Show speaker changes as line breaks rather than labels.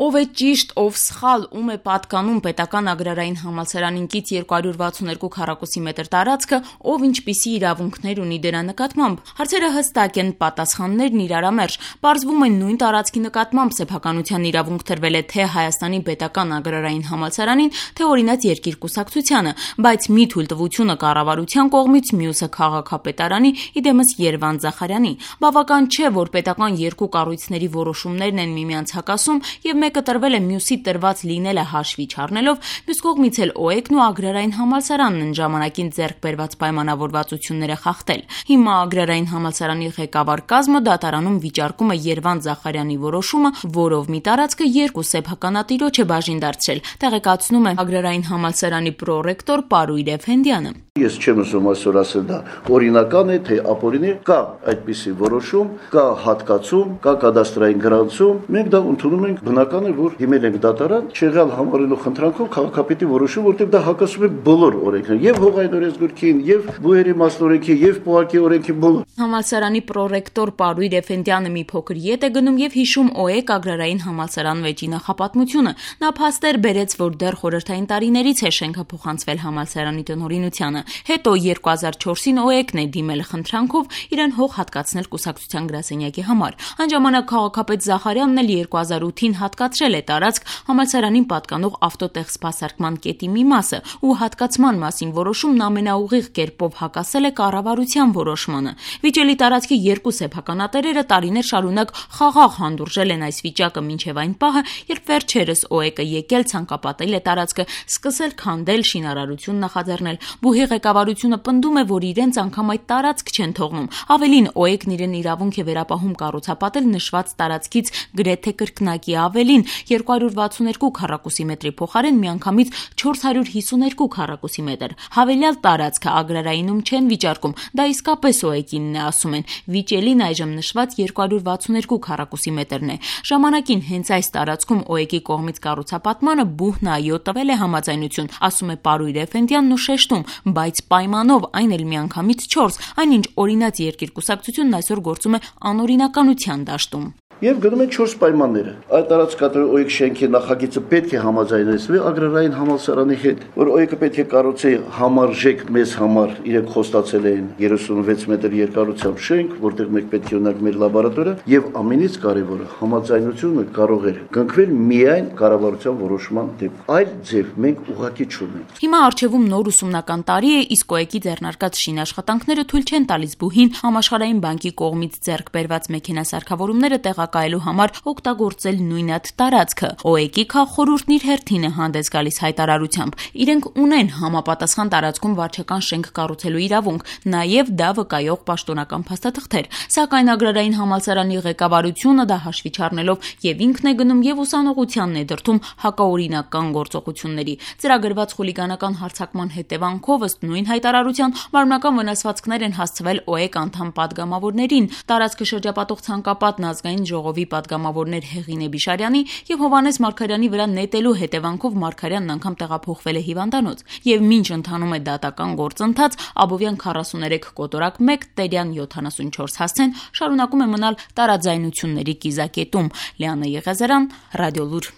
Ով է ճիշտ, ով սխալ, ում է պատկանում պետական agrarային համալսարանին կից 262 քառակուսի մետր տարածքը, ով ինչպիսի իրավունքներ ունի դրա նկատմամբ։ Հարցերը հստակ են, պատասխաններն իրարամերժ։ Պարզվում է նույն տարածքի նկատմամբ սեփականության իրավունք տրվել է թե Հայաստանի պետական agrarային համալսարանին, թե օրինաց երկիր-կուսակցությանը, բայց մի թույլտվությունը կառավարության կողմից, մյուսը քաղաքապետարանի, իդեմս Երվանդ Զախարյանի։ Բավական չէ, որ պետական երկու կառույցների որոշումներն են միմյանց հակասում եւ մեկը տրվել է մյուսի տրված լինելը հաշվի չառնելով, մյուս կողմից էլ ՕԵԿ-ն ու Ագրարային համալսարանն են ժամանակին ձեռք բերված պայմանավորվածությունները խախտել։ Հիմա Ագրարային համալսարանի ղեկավար կազմը դատարանում վիճարկում է Երվանդ Զախարյանի որոշումը, որով մի տարածքը երկու սեփականատիրոջ է բաժին դարձրել, տեղեկացնում է Ագրարային համալսարանի պրոռեկտոր Պարույր Էֆենդյանը։
Ես չեմ ուզում այսօր ասել դա օրինական է, թե ապօրինի, կա այդպիսի որոշում, կա հատկացում, կա կադաստրային գրանցում, մենք դա ընդունում ենք, բնական է, որ հիմնել ենք դատարան, չեղյալ համարելու խնդրանքով քաղաքապետի որոշում, որտեղ դա հակասում է բոլոր օրենքներին, եւ հողային օրենսգրքին, եւ բուհերի մասնօրենքի, եւ պոակի օրենքի բոլոր։
Համալսարանի պրոռեկտոր Պարույր Էֆենդյանը մի փոքր ետ է գնում եւ հիշում ՕԵԿ Ագրարային համալսարան վեճի նախապատմությունը։ Նա փաստեր բերեց, որ դեռ խորհրդային տարիներից է շենքը փոխանցվել համալսարանի տնօրինությանը։ Հետո 2004-ին ՕԵԿ-ն է դիմել խնդրանքով իրեն հող հատկացնել կուսակցության գրասենյակի համար։ Այն ժամանակ քաղաքապետ Զախարյանն էլ 2008-ին հատկացրել է տարածք համալսարանին պատկանող ավտոտեղ սպասարկման կետի մի մասը ու հատկացման մասին որոշումն ամենաուղիղ կերպով հակասել է կառավարության որոշմանը։ Վիճելի տարածքի երկու սեփականատերերը տարիներ շարունակ խաղաղ հանդուրժել են այս վիճակը մինչև այն պահը, երբ վերջերս ՕԵԿ-ը եկել ցանկապատել է տարածքը, սկսել քանդել, շինարարություն նախաձեռնել։ Բուհի ղեկավարությունը պնդում է, որ իրենց անգամ այդ տարածք չեն թողնում։ Ավելին, ՕԵԿ-ն իրեն իրավունք է վերապահում կառուցապատել նշված տարածքից գրեթե կրկնակի ավելին 262 քառակուսի մետրի փոխարեն միանգամից 452 քառակուսի մետր։ Հավելյալ տարածքը Ագրարայինում չեն վիճարկում, դա իսկապես ՕԵԿ-ինն է, ասում են։ Վիճելին այժմ նշված 262 քառակուսի մետրն է։ Ժամանակին հենց այս տարածքում ՕԵԿ-ի կողմից կառուցապատմանը բուհն այո տվել է համաձայնություն, ասում է Պարույր Էֆենդյանն ու շեշտում, բայց պայմանով, այն էլ միանգամից 4, այնինչ օրինաց երկիր-կուսակցությունն այսօր գործում է անօրինականության դաշտում։
Եվ գնում են 4 պայմանները։ Այդ տարածքատար ՕԵԿ շենքի նախագիծը պետք է համաձայնեցվի Ագրարային համալսարանի հետ, որ ՕԵԿ-ը պետք է կառուցի համարժեք մեզ համար, իրենք խոստացել էին 36 մետր երկարությամբ շենք, որտեղ մենք պետք է ունենանք մեր լաբորատորիա, եւ ամենից կարևորը համաձայնությունը կարող էր կնքվել միայն կառավարության որոշման դեպքում։ Այլ ձև մենք ուղղակի չունենք։
Հիմա արժևում նոր ուսումնական տարի է, իսկ ՕԵԿ-ի ձեռնարկած շինաշխատանքները թույլ չեն տալիս բուհին Համաշխարհային բանկի կողմից ձեռք բերված մեքենասարքավորումները տեղակայելու համար օգտագործել նույն այդ տարածքը։ ՕԵԿ-ի քաղխորհուրդն իր հերթին է հանդես գալիս հայտարարությամբ։ Իրենք ունեն համապատասխան տարածքում վարչական շենք կառուցելու իրավունք, նաև դա վկայող պաշտոնական փաստաթղթեր։ Սակայն Ագրարային համալսարանի ղեկավարությունը դա հաշվի չառնելով եւ ինքն է գնում եւ ուսանողությանն է դրդում հակաօրինական գործողությունների։ Ծրագրված խուլիգանական հարձակման հետևանքով ըստ նույն հայտարարության մարմնական վնասվածքներ են հասցվել ՕԵԿ անդամ պատգամավորներին։ Տարածքը շրջապատող ցանկապատն ազգային ժողովի պատգամավորներ Հեղինե Բիշարյանի եւ Հովհաննես Մարգարյանի վրա նետելու հետևանքով Մարգարյանն անգամ տեղափոխվել է հիվանդանոց։ Եվ մինչ ընթանում է դատական գործընթաց, Աբովյան 43 կոտորակ 1, Տերյան 74 հասցեն շարունակում է մնալ տարաձայնությունների կիզակետում։ Լիանա Եղիազարյան, Ռադիոլուր։